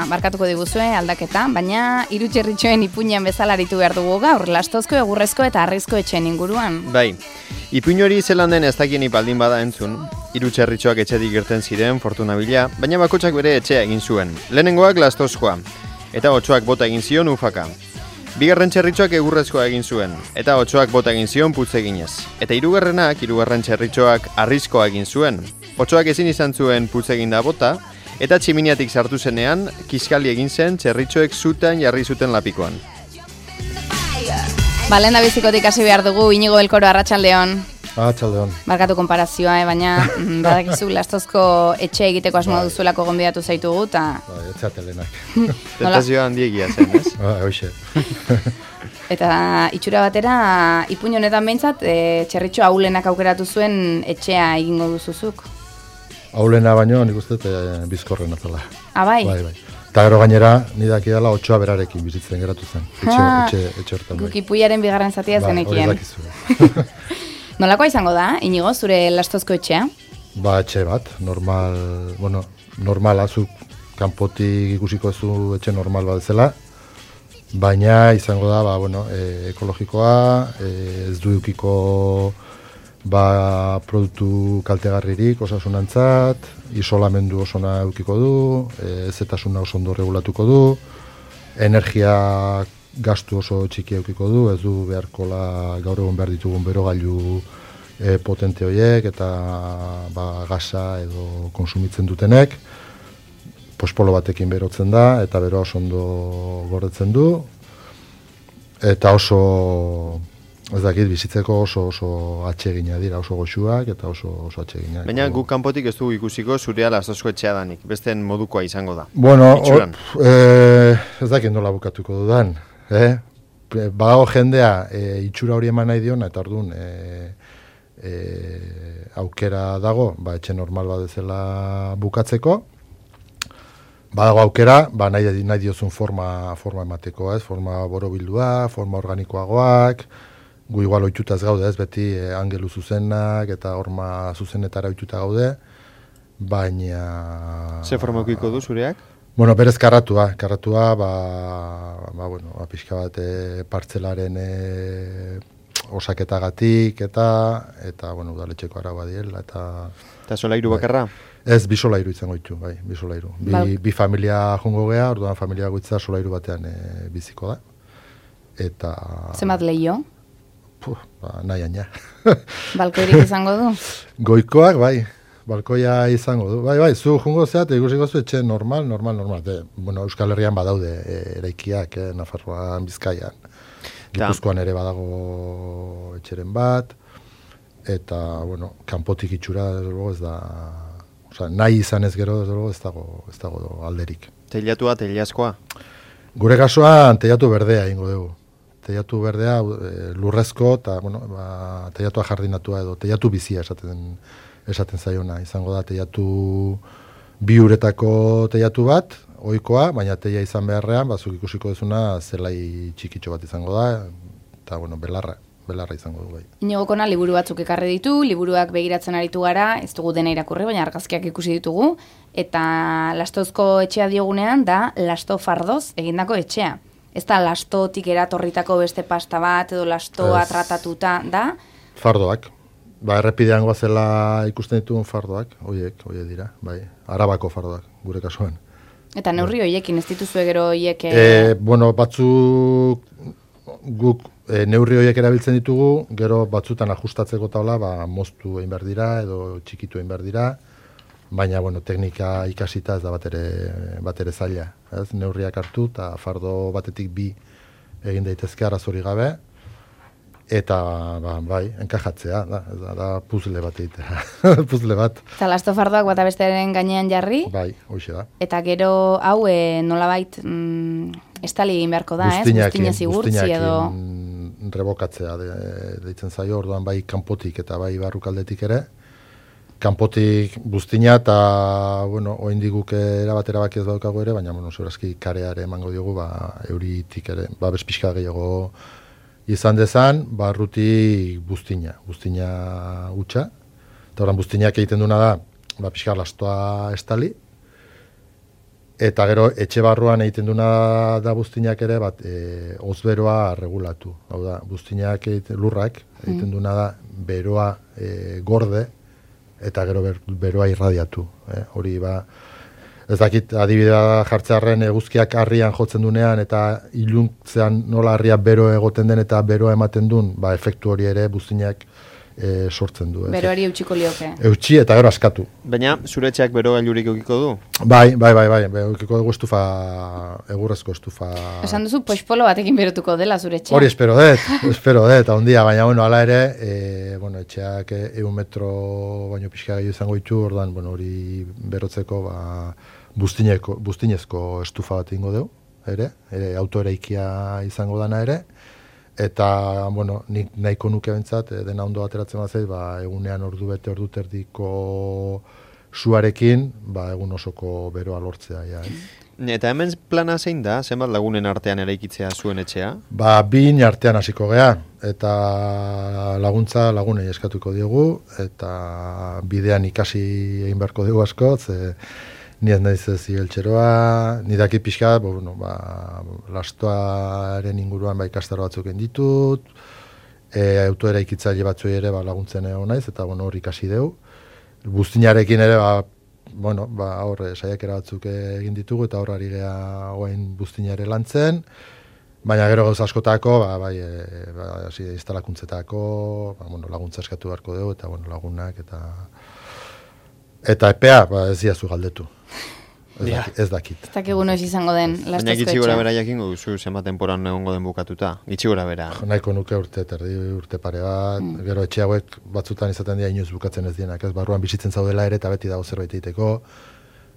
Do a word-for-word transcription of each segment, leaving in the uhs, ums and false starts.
barkatuko diguzue aldaketa, baina hiru txerritxoen ipuinean bezala aritu behar dugu gaur, lastozko, egurrezko eta harrizko etxeen inguruan. Bai, ipuin hori zelan den ez dakien baldin bada entzun, hiru txerritxoak etxetik irten ziren, fortuna bila, baina bakotsak bere etxea egin zuen. Lehenengoak lastozkoa, eta otsoak bota egin zion ufaka. Bigarren txerritxoak egurrezkoa egin zuen, eta otsoak bota egin zion putzeginez. Eta hirugarrenak, hirugarren txerritxoak harrizkoa egin zuen. Otsoak ezin izan zuen putzeginda bota, eta tximiniatik sartu zenean, kiskali egin zen txerritxoek zutan jarri zuten lapikoan. Ba, lehen da bizikotik hasi behar dugu, Inigo Belkoro, arratsaldeon. Arratsaldeon. Barkatu konparazioa, eh, baina badakizu lastozko etxe egiteko asmoa duzuelako gonbidatu zaitugu, eta... Ba, etxatelenak. Tentazioa handiegia zen, ez? Ba, hoxe. Eta itxura batera, ipuin honetan behintzat, e, txerritxo aulenak aukeratu zuen etxea egingo duzuzuk. Aulena baino, nik uste, e, bizkorren atala. Ah, bai? Bai, bai. Eta gero gainera, nidaki dela otsoa berarekin bizitzen geratu zen. Etxe, Ah, etxe, etxe hortan. Guk ipuiaren bigarren zatia Ba, zenekien. hori dakizu. Nolakoa izango da, Inigo, zure lastozko etxea? Ba, etxe bat, normal, bueno, normala, zuk kanpotik ikusiko zu etxe normal bat zela, baina izango da, ba, bueno, e, ekologikoa, e, ez du edukiko ba, produktu kaltegarririk osasunantzat, isolamendu osona edukiko du, e, ezetasuna oso ondo regulatuko du, energia gastu oso txiki edukiko du, ez du beharkola gaur egun behar ditugun berogailu e, potente horiek eta ba, gasa edo konsumitzen dutenek, pospolo batekin berotzen da eta bero oso ondo gordetzen du eta oso, ez dakit, bizitzeko oso oso atsegina dira, oso goxuak eta oso oso atseginak. Baina guk kanpotik ez dugu ikusiko zurea lastozko etxea danik, besten modukoa izango da. Bueno, Itxuran. o, e, ez dakit nola bukatuko dudan. Eh? Badago jendea e, itxura hori eman nahi diona, eta orduan e, e, aukera dago, ba, etxe normal bat ezela bukatzeko. Badago aukera, ba, nahi, nahi diozun forma, forma emateko, ez? Forma borobildua, forma organikoagoak, gu igual ohitutaz gaude, ez? Beti e, angelu zuzenak eta horma zuzenetara ohituta gaude, baina... Ze formokiko du zureak? Bueno, berez karratua, karratua, ba, ba, bueno, ba, pixka bat e, partzelaren e, osaketagatik eta, eta, bueno, udaletxeko arau diela, eta... Eta solairu bakarra? Ez, bi solairu izango ditu, bai, bi solairu. Bi, Bal- bi familia jongo gea, orduan familia goitza solairu batean e, biziko da. Eta... Zenbat lehio? Puh, ba, nahi aina. Balkoirik izango du? Goikoak, bai. Balkoia izango du. Bai, bai, zu jungo zeat, ikusiko zu etxe normal, normal, normal. De, bueno, Euskal Herrian badaude e, eraikiak, eh, Nafarroan, Bizkaian. Gipuzkoan ere badago etxeren bat. Eta, bueno, kanpotik itxura, desde luego, ez da... Osa, nahi izan ez gero, desde luego, ez dago, ez dago alderik. Teilatua, teilazkoa? Gure kasuan, teilatu berdea ingo dugu. Teilatu berdea, e, lurrezko, eta, bueno, ba, teilatua jardinatua edo, teilatu bizia esaten esaten zaiona, izango da teilatu bi uretako teilatu bat, ohikoa, baina teila izan beharrean, bazuk ikusiko duzuna zelai txikitxo bat izango da, eta bueno, belarra, belarra izango du bai. Inigo Kona liburu batzuk ekarri ditu, liburuak begiratzen aritu gara, ez dugu dena irakurri, baina argazkiak ikusi ditugu, eta lastozko etxea diogunean da lasto fardoz egindako etxea. Ez da lastotik eratorritako beste pasta bat, edo lastoa Ez. tratatuta da. Fardoak. Ba, errepidean goazela ikusten ditugun fardoak, hoiek, hoiek dira, bai, Arabako fardoak, gure kasuan. Eta neurri hoiekin, ez dituzue gero hoiek... E, bueno, batzuk guk e, neurri horiek erabiltzen ditugu, gero batzutan ajustatzeko taula, ba, moztu egin behar dira, edo txikitu egin behar dira, baina, bueno, teknika ikasita ez da batere, batere zaila. Ez? Neurriak hartu, eta fardo batetik bi egin daitezke arazori gabe, eta, ba, bai, enkajatzea, da, da, da puzzle bat egitea, puzzle bat. Eta lasto fardoak bata bestearen gainean jarri, Bai, hoxe da. eta gero hau e, nolabait mm, estali egin beharko da, ez? Buztinez igurtzi edo... rebokatzea de, deitzen zaio, orduan bai kanpotik eta bai barrukaldetik ere. Kanpotik buztina eta, bueno, oraindik guk erabat erabaki ez daukagu ere, baina, bueno, segurazki kareare emango diogu, ba, euritik ere, ba, bezpixka gehiago izan dezan, barrutik buztina, buztina hutsa. Eta oran buztinak egiten duna da, ba, pixka lastoa estali, Eta gero, etxe barruan egiten duna da buztinak ere, bat, e, ozberoa regulatu. Hau da, buztinak egiten, lurrak egiten duna da, beroa e, gorde, eta gero ber, beroa irradiatu. Eh? Hori ba, ez dakit adibidea jartzearren eguzkiak harrian jotzen dunean, eta iluntzean nola harria bero egoten den eta beroa ematen duen, ba, efektu hori ere buztinak e, sortzen du. Beroari eutxiko lioke. Eutxi eta gero askatu. Baina, zure etxeak bero gailurik eukiko du? Bai, bai, bai, bai, eukiko dugu estufa, egurrezko estufa. Esan duzu, pospolo batekin berotuko dela zure etxea. Hori espero dut, espero dut, ondia, baina, bueno, ala ere, e, bueno, etxeak egun metro baino pixka gehiago izango ditu, ordan, bueno, hori berotzeko, ba, buztineko, buztinezko estufa bat ingo dugu, ere, ere autoeraikia izango dana ere, eta, bueno, nik nahiko nuke bentsat, dena ondo ateratzen bazait, ba, egunean ordu bete, ordu terdiko suarekin, ba, egun osoko beroa lortzea, ja, ez? Eta hemen plana zein da, zenbat lagunen artean eraikitzea zuen etxea? Ba, bin artean hasiko gea, eta laguntza lagunei eskatuko diogu, eta bidean ikasi egin beharko dugu asko, ze ni ez naiz ez igeltxeroa, ni daki pixka, bueno, ba, lastoaren inguruan ba, ikastaro batzuk ditut, e, autoeraikitzaile batzuei ere ba, laguntzen egon naiz, eta bueno, hor ikasi dugu. Buztinarekin ere, ba, bueno, ba, hor saiakera batzuk egin ditugu, eta hor ari gea oain buztinare lantzen, baina gero gauz askotako, ba, bai, e, ba, hasi instalakuntzetako, ba, bueno, laguntza eskatu beharko dugu, eta bueno, lagunak, eta eta epea, ba, ez diazu galdetu. Ez, ja. dakit, ez dakit. Ez dakigu noiz izango den lastozko etxea. Baina gitxi gora bera jakingo duzu, zenbat temporan egongo den bukatuta. Gitxi gora bera. Nahiko nuke urte, terdi urte pare bat. Mm. Gero etxe hauek batzutan izaten dira inoiz bukatzen ez dienak. Ez barruan bizitzen zaudela ere eta beti dago zerbait egiteko.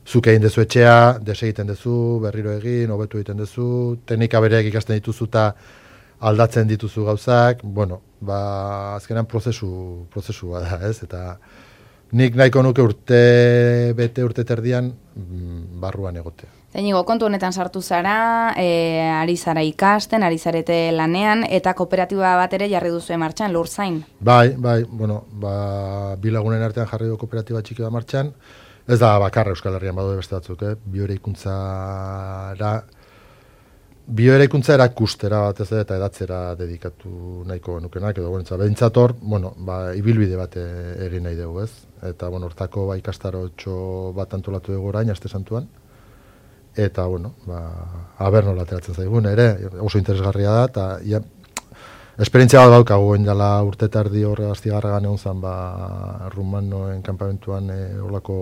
Zuk egin dezu etxea, desegiten dezu, berriro egin, hobetu egiten dezu, teknika bereak ikasten dituzu eta aldatzen dituzu gauzak. Bueno, ba, azkenan prozesu, prozesu bada, ez? Eta nik nahiko nuke urte bete urte terdian barruan egotea. Zainigo, kontu honetan sartu zara, e, ari zara ikasten, ari zarete lanean, eta kooperatiba bat ere jarri duzu martxan, Lurzain. Bai, bai, bueno, ba, bi lagunen artean jarri du kooperatiba txiki bat martxan, ez da bakarra Euskal Herrian badu beste batzuk, eh? Bioeraikuntzara, bioeraikuntza erakustera bat ez da, eta edatzera dedikatu nahiko nukenak, edo guretzat, behintzator, bueno, ba, ibilbide bat egin nahi dugu, ez? Eta, bueno, hortako ba, ikastarotxo bat antolatu dugu orain, aste santuan, eta, bueno, ba, aber nola ateratzen zaigun, ere, oso interesgarria da, eta, ja, esperientzia bat daukagu, dela urte tardi horre astigarragan egon zen, ba, rumanoen kanpamentuan e, horlako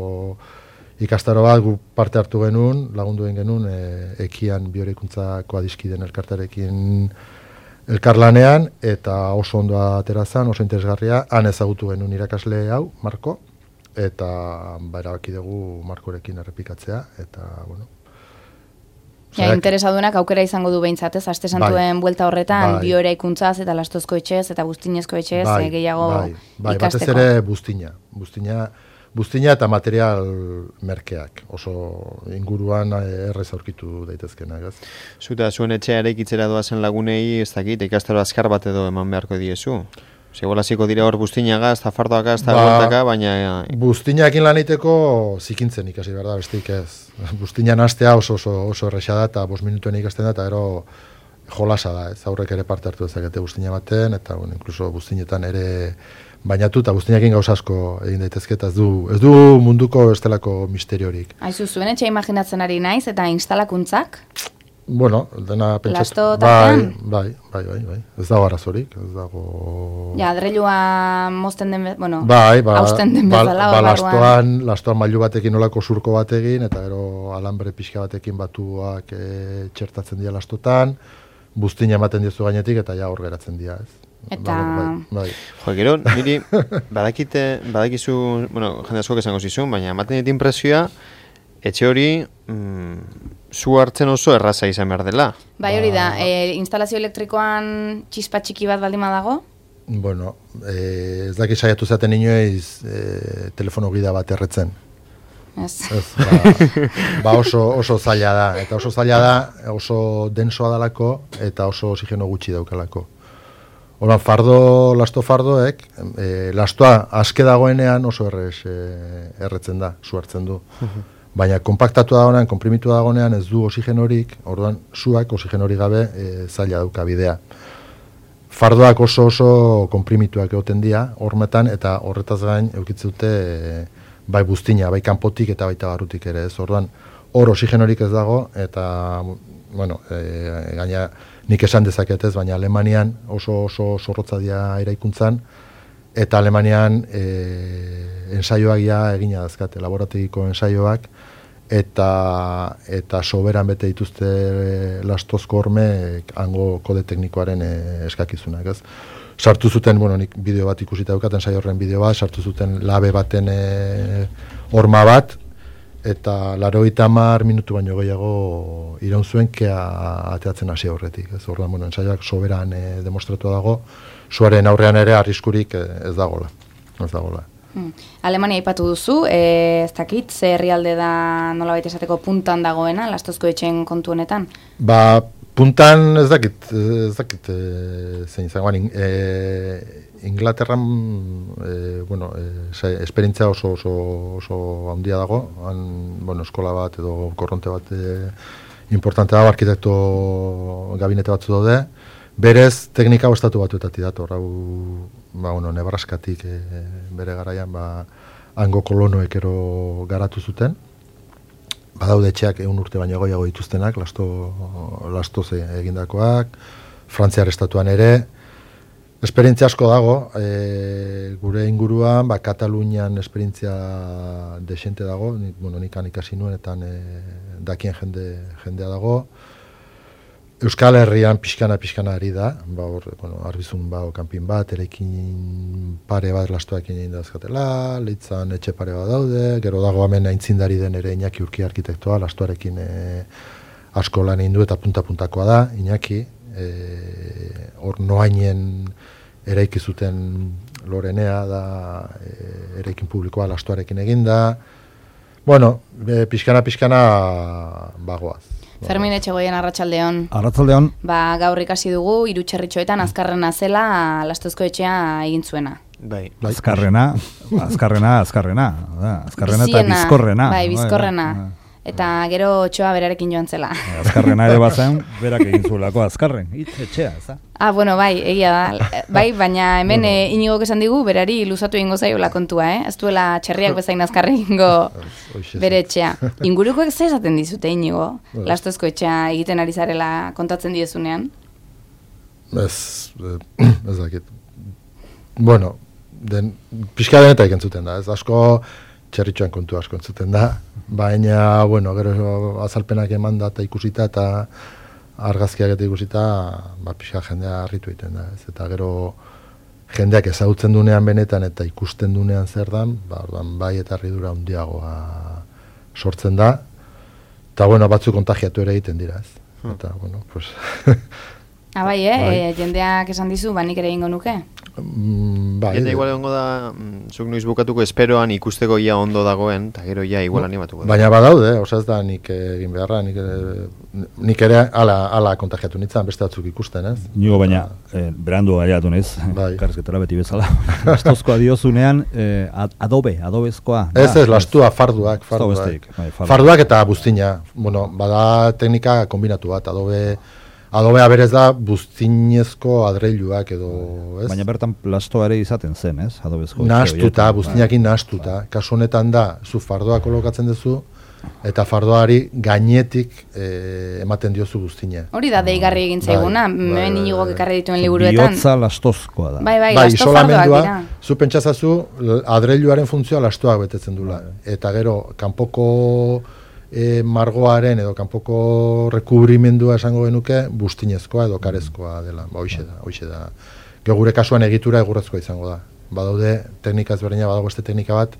ikastaro bat gu parte hartu genuen, lagundu egin genuen, e, ekian bioreikuntzako adiskiden elkartarekin elkarlanean, eta oso ondoa aterazan, oso interesgarria, han ezagutu genuen irakasle hau, Marko, eta ba, erabaki dugu Markorekin errepikatzea, eta, bueno. Ja, interesadunak aukera izango du behintzat, ez? Aste santuen bai, buelta horretan, bai, bioeraikuntzaz eta lastozko etxez eta buztinezko etxez bai, gehiago bai, bai, ikasteko. Batez ere buztina, buztina, Buztina eta material merkeak, oso inguruan errez aurkitu daitezkenak, ez? Zuta, zuen etxea eraikitzera doazen lagunei, ez dakit, ikastaro azkar bat edo eman beharko diezu? Segolaziko dira hor buztinagaz, eta fardoakaz, eta ba, gortaka, baina... Buztinakin lan egiteko zikintzen ikasi behar da, besteik ez. Buztinan hastea oso oso, oso erresa da, eta bost minutuen ikasten da, eta ero jolasa da, ez? Aurrek ere parte hartu dezakete buztina baten, eta bueno, inkluso buztinetan ere... bainatu eta guztinakin gauza asko egin daitezke, eta ez du, ez du munduko estelako misteriorik. Aizu, zuen etxe imaginatzen ari naiz, eta instalakuntzak? Bueno, dena pentsatu. Lasto tapean? Bai, bai, bai, bai, ez dago arazorik, ez dago... Ja, adreilua mozten den, bueno, bai, ba, hausten den bezala. Ba, ba lastoan, lastoan mailu batekin olako surko bat egin, eta gero alambre pixka batekin batuak e, txertatzen dira lastotan, buztina ematen diozu gainetik, eta ja hor geratzen dira, ez. Eta... Bai, bai. Jo, gero, niri, badakite, badakizu, bueno, jende asko esango zizun, baina ematen dit impresioa, etxe hori, mm, zu hartzen oso erraza izan behar dela. Bai, hori da, e, instalazio elektrikoan txispa txiki bat baldin badago? Bueno, e, ez daki saiatu zaten inoiz e, telefono gida bat erretzen. Ez. Ez, ba, ba oso, oso zaila da, eta oso zaila da, oso densoa dalako, eta oso oxigeno gutxi daukalako. Horan, fardo, lasto fardoek, e, lastoa aske dagoenean oso errez e, erretzen da, su hartzen du. baina konpaktatu dagoenean, konprimitu dagoenean ez du oxigenorik, orduan suak oxigenorik gabe e, zaila dauka bidea. Fardoak oso oso konprimituak egoten dira, hormetan, eta horretaz gain eukitzen dute e, bai buztina, bai kanpotik eta baita barrutik ere, ez orduan, hor oxigenorik ez dago, eta, bueno, e, gaina nik esan dezaketez, baina Alemanian oso oso zorrotza dira eraikuntzan, eta Alemanian e, ensaioak ja egina dazkate, laborategiko ensaioak, eta eta soberan bete dituzte lastozko horme hango kode teknikoaren e, eskakizunak, ez? Sartu zuten, bueno, nik bideo bat ikusita daukat, ensaio horren bideo bat, sartu zuten labe baten e, horma bat, eta laurogeita hamar minutu baino gehiago iraun zuen kea ateatzen hasi aurretik. Ez orduan, bueno, ensaioak soberan e, demostratu dago, suaren aurrean ere arriskurik e, ez dagola. Ez dagola. Hmm. Alemania aipatu duzu, e, ez dakit, ze herrialde da nolabait esateko puntan dagoena, lastozko etxeen kontu honetan? Ba, puntan ez dakit, ez dakit e, zein zagoan, e, Inglaterran, e, bueno, e, esperientzia oso, oso, oso handia dago, han, bueno, eskola bat edo korronte bat e, importante dago, arkitekto gabinete batzu daude, berez teknika estatu batuetatik dator, hau, ba, bueno, Nebraskatik e, bere garaian, ba, hango kolonoek ero garatu zuten, badaude etxeak ehun urte baino gehiago dituztenak, lasto, lastoz egindakoak, Frantziar estatuan ere, esperientzia asko dago, e, gure inguruan, ba, Katalunian esperientzia desente dago, nik, bueno, nikan ikasi nuenetan e, dakien jende, jendea dago. Euskal Herrian pixkana-pixkana ari da, ba, or, bueno, arbizun ba, kanpin bat, erekin pare bat lastoekin egin dazkatela, leitzan etxe pare bat daude, gero dago hemen aintzindari den ere Iñaki Urki arkitektoa, lastoarekin e, asko lan egin du eta punta-puntakoa da, Iñaki, hor e, noainen eraiki zuten Lorenea da, e, eraikin publikoa lastoarekin eginda. Bueno, e, pixkana-pixkana bagoaz. Fermin Etxegoien arratsaldeon. Arratsaldeon. Ba, gaur ikasi dugu Irutxerritxoetan azkarrena zela Lastozko etxea egin zuena. Bai. Azkarrena, azkarrena, azkarrena, azkarrena eta bizkorrena. Bai, bizkorrena. Eta gero otxoa berarekin joan zela. Azkarrena ere bazen, berak egin zuelako azkarren, hitz etxea, ez da? Ah, bueno, bai, egia da. Bai, baina hemen bueno. e, Inigok esan digu, berari luzatu egingo zaiola kontua, eh? Ez duela txerriak bezain azkarre egingo bere etxea. Ingurukoek ze esaten dizute, Inigo? Lastozko etxea egiten ari zarela kontatzen diezunean? Ez, ez dakit. Bueno, den, pixka denetak entzuten da, ez asko txerritxoan kontu asko entzuten da, baina, bueno, gero azalpenak eman da eta ikusita eta argazkiak eta ikusita, ba, pixka jendea harritu egiten da, ez? Eta gero jendeak ezagutzen dunean benetan eta ikusten dunean zer dan, ba, bai eta harridura handiagoa sortzen da, eta, bueno, batzu kontagiatu ere egiten dira, ez? Eta, bueno, pues... Ah, bai, eh? Bai. E, jendeak esan dizu, ba, nik ere egingo nuke? Mm, bai. Jende igual egongo da, mm, zuk noiz bukatuko esperoan ikusteko ia ondo dagoen, eta gero ja igual animatuko da. Baina badaude, oza ez da nik egin beharra, nik, nik ere ala, ala kontagiatu nintzen, beste batzuk ikusten, ez? Nigo baina, eh, berandu gaiatu nez, bai. Karrizketara beti bezala. Lastozkoa diozunean, eh, adobe, adobezkoa. Ez ez, lastua, farduak, farduak. Bai, farduak eta buztina. Bueno, bada teknika kombinatu bat, adobe... Adobea berez da buztinezko adreiluak edo, ez? Baina bertan plastoa ere izaten zen, ez? Adobezko. Nahastuta, buztinakin nahastuta. Kasu honetan da, zu fardoa kolokatzen duzu, eta fardoari gainetik e, ematen diozu buztina. Hori da deigarri egin zaiguna, hemen Inigok ekarri dituen liburuetan. Bihotza lastozkoa da. Bai, bai, bai lasto fardoak dira. Zu pentsazazu, adreiluaren funtzioa lastoak betetzen dula. Eta gero, kanpoko... E, margoaren edo kanpoko rekubrimendua esango genuke buztinezkoa edo karezkoa dela, ba, hoixe da, hoixe da. Gero gure kasuan egitura egurrezkoa izango da. Badaude teknika ezberdina, badago beste teknika bat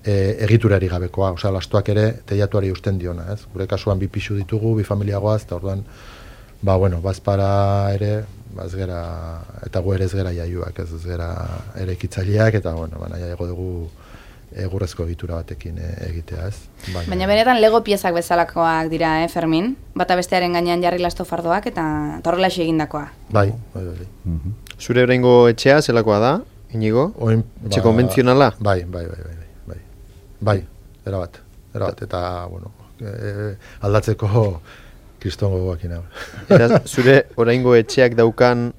e, egiturari gabekoa, osea lastoak ere teilatuari eusten diona, ez? Gure kasuan bi pisu ditugu, bi familiagoaz, eta orduan, ba bueno, bazpara ere, ba ez gera, eta gu ere ez gera jaiuak, ez, ez gera ere ekitzaileak, eta bueno, baina jaigo dugu egurrezko egitura batekin e, egitea, ez? Baina, Baina benetan lego piezak bezalakoak dira, eh, Fermin? Bata bestearen gainean jarri lasto fardoak eta horrelaxe egindakoa. Bai, bai, bai. Mm-hmm. Zure oraingo etxea zelakoa da, Inigo? Oin, etxe ba, konbentzionala? Bai, bai, bai, bai, bai. Bai, erabat. erabat, eta, bueno, e, aldatzeko kristongo goakin hau. Eta zure oraingo etxeak daukan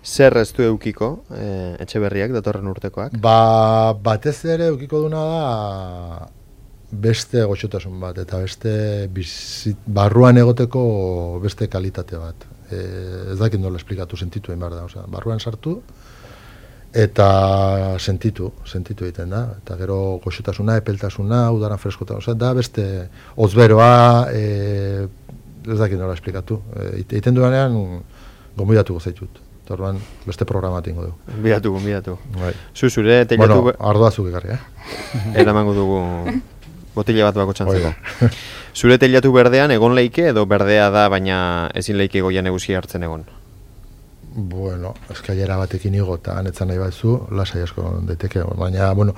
zer ez du eukiko, e, etxe berriak, datorren urtekoak? Ba, batez ere eukiko duna da beste goxotasun bat, eta beste bizit, barruan egoteko beste kalitate bat. E, ez dakit nola esplikatu, sentitu egin behar da, osea, barruan sartu, eta sentitu, sentitu egiten da, eta gero goxotasuna, epeltasuna, udaran freskotasuna, osea, da beste ozberoa, e, ez dakit nola esplikatu. E, egiten duanean, gonbidatuko zaitut. Orduan beste programa tingo du. Gonbidatu, gonbidatu. Bai. Zu zure teilatu... Bueno, ardoa zuk ekarri, eh? Eramango dugu botila bat bako txantzeko. Zure teilatu berdean egon leike edo berdea da, baina ezin leike goian egusia hartzen egon? Bueno, eskailera batekin igo eta anetzan nahi batzu, lasai asko daiteke. Baina, bueno,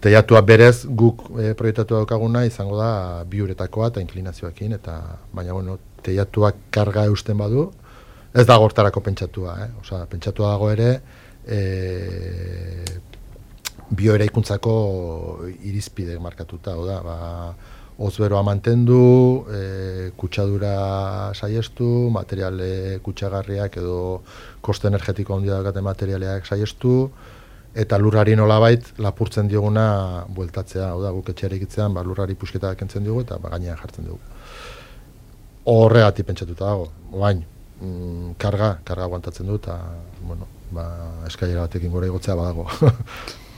teilatua berez guk e, proiektatu daukaguna izango da bi uretakoa eta inklinazioakin, eta baina, bueno, teilatuak karga eusten badu, ez da gortarako pentsatua, eh? Osea, pentsatua dago ere e, bioeraikuntzako irizpide markatuta, oda, ba, ozberoa mantendu, e, kutsadura saiestu, materiale kutsagarriak edo koste energetiko handia daukaten materialeak saiestu, eta lurrari nolabait lapurtzen dioguna bueltatzea, oda, guk etxeare ikitzean, ba, lurrari pusketa kentzen diogu eta ba, gainean jartzen dugu. Horregatik pentsatuta dago, bain, mm, karga, karga aguantatzen du, eta, bueno, ba, eskailera batekin gora igotzea badago.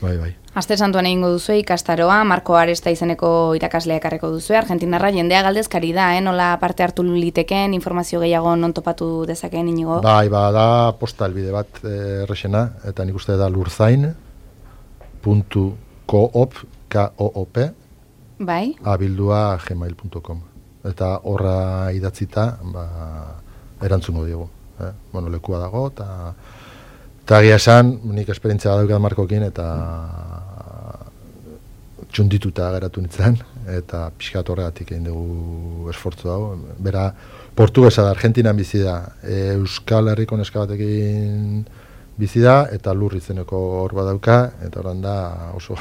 Bai, bai. Aste santuan egingo duzue ikastaroa, Marko Aresta izeneko irakaslea ekarreko duzue, Argentinarra jendea galdezkari da, eh? Nola parte hartu liteken, informazio gehiago non topatu dezakeen Inigo? Bai, ba, da posta helbide bat errexena, eta nik uste da lurzain puntu koop, K-O-O-P, bai? abildua gmail puntu com. Eta horra idatzita, ba, erantzungo diogu. Eh? Bueno, lekua dago, eta eta egia esan, nik esperientzia badaukat Markokin, eta txundituta geratu nintzen, eta pixkat horregatik egin dugu esfortzu dago. Bera, portugesa da, Argentinan bizi da, e, Euskal Herriko neska batekin bizi da, eta lur izeneko hor badauka, eta horan da oso...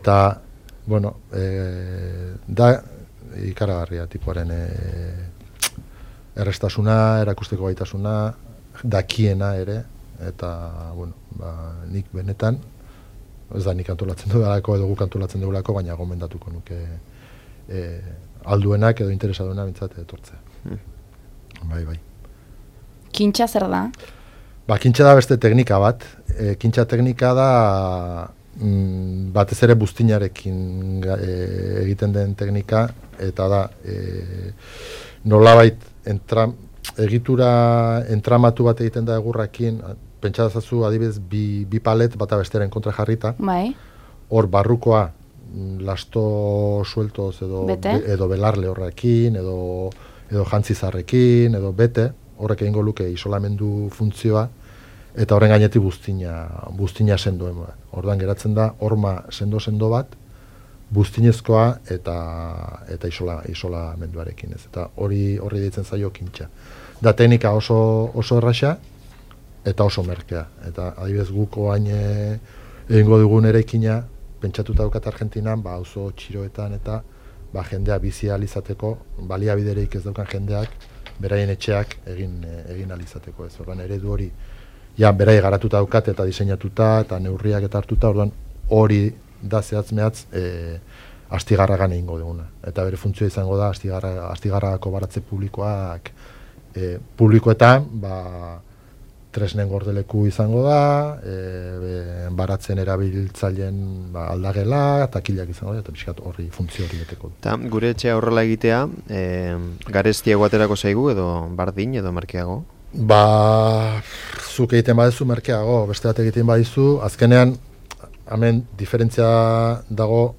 eta, bueno, e, da ikaragarria tipuaren e, errestasuna, erakusteko gaitasuna, dakiena ere, eta, bueno, ba, nik benetan, ez da nik antolatzen dugulako edo guk antolatzen dugulako, baina gomendatuko nuke e, alduenak edo interesaduena bintzat etortzea. Hmm. Bai, bai. Kintxa zer da? Ba, kintxa da beste teknika bat. E, kintxa teknika da mm, batez ere buztinarekin e, egiten den teknika, eta da e, nolabait entram, egitura entramatu bat egiten da egurrakin, pentsatzazu adibidez bi, bi palet bata besteren kontra jarrita. Bai. Hor barrukoa lasto sueltoz edo, be, edo belarle horrekin, edo, edo jantzizarrekin, edo bete, horrek egingo luke isolamendu funtzioa, eta horren gainetik buztina, buztina sendoen. Ordan geratzen da horma sendo-sendo bat, buztinezkoa eta eta isola, isolamenduarekin. Ez. Eta hori horri deitzen zaio kintxa. Da teknika oso, oso erraxa, eta oso merkea. Eta adibidez guk oain egingo dugun eraikina, pentsatuta daukat Argentinan, ba, auzo txiroetan eta ba, jendea bizi alizateko, baliabidereik ez daukan jendeak, beraien etxeak egin, egin alizateko. Ez ordan eredu hori, ja, berai garatuta daukat eta diseinatuta, eta neurriak eta hartuta, ordan hori da zehatz mehatz e, astigarragan egingo duguna. Eta bere funtzioa izango da astigarra, astigarragako baratze publikoak e, publikoetan, ba, tresnen gordeleku izango da, e, be, baratzen erabiltzaileen ba, aldagela, takilak izango da, eta pixkat horri funtzio hori beteko du. Ta, gure etxea horrela egitea, e, garestiago aterako zaigu edo bardin edo merkeago? Ba, zuk egiten badezu merkeago, beste bat egiten badizu, azkenean, hemen diferentzia dago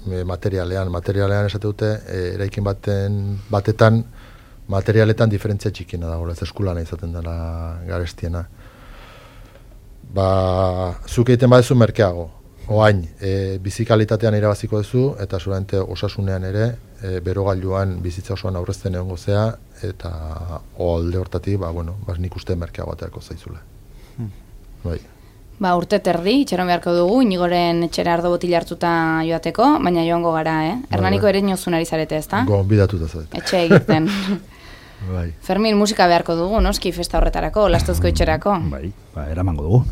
e, materialean, materialean esate dute, e, eraikin baten, batetan, materialetan diferentzia txikina dago, ez eskulana izaten dela garestiena. Ba, zuk egiten badezu merkeago, oain, e, bizikalitatean irabaziko duzu, eta zuramente osasunean ere, e, berogailuan bizitza osoan aurrezten egongo zea, eta alde hortatik, ba, bueno, ba, nik uste merkeago aterako zaizula. Hmm. Bai. Ba, urte terdi, itxaron beharko dugu, Inigoren etxera ardo botila hartuta joateko, baina joango gara, eh? Hernaniko ere inozun ari zarete, ezta? Gonbidatuta zarete. Etxe egiten. Bai. Fermin, musika beharko dugu, noski, festa horretarako, lastozko etxerako. Bai, ba, eramango dugu.